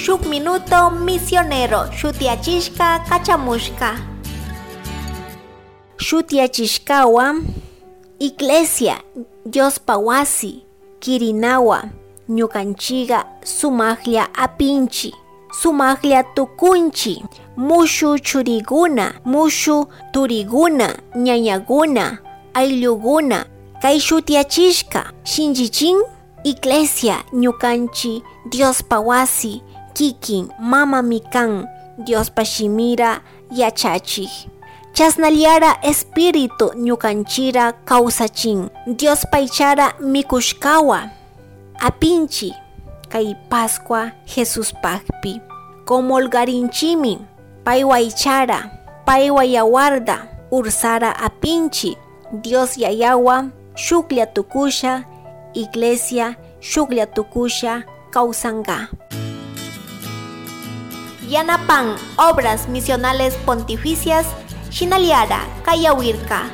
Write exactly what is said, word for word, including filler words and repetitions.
Shuk minuto misionero shutiyachishka kachamushka. Shutiyachishkawa, Iglesia, Diospa wasi, kirinawa, ñukanchika sumaklla apinchi, sumaklla tukunchi, mushu churikuna, mushu turikuna, ñañakuna, ayllukuna, kay shutiyachishka shinchichin. Iglesia, ñukanchi Diospa wasi, kikin mamami kan Diospa shimira yachachik. Chasnallara Espíritu ñukanchira kawsachin. Diospa ichara mikushkawa apinchi kay Pascua Jesuspakpi. Comulgarinchimi paywa ichara, paywa yawarda ursara apinchi. Dios Yayawa shuklla tukusha, Iglesia shuklla tukusha kawsanka. Yanapan Obras Misionales Pontificias shinallara kayawirka.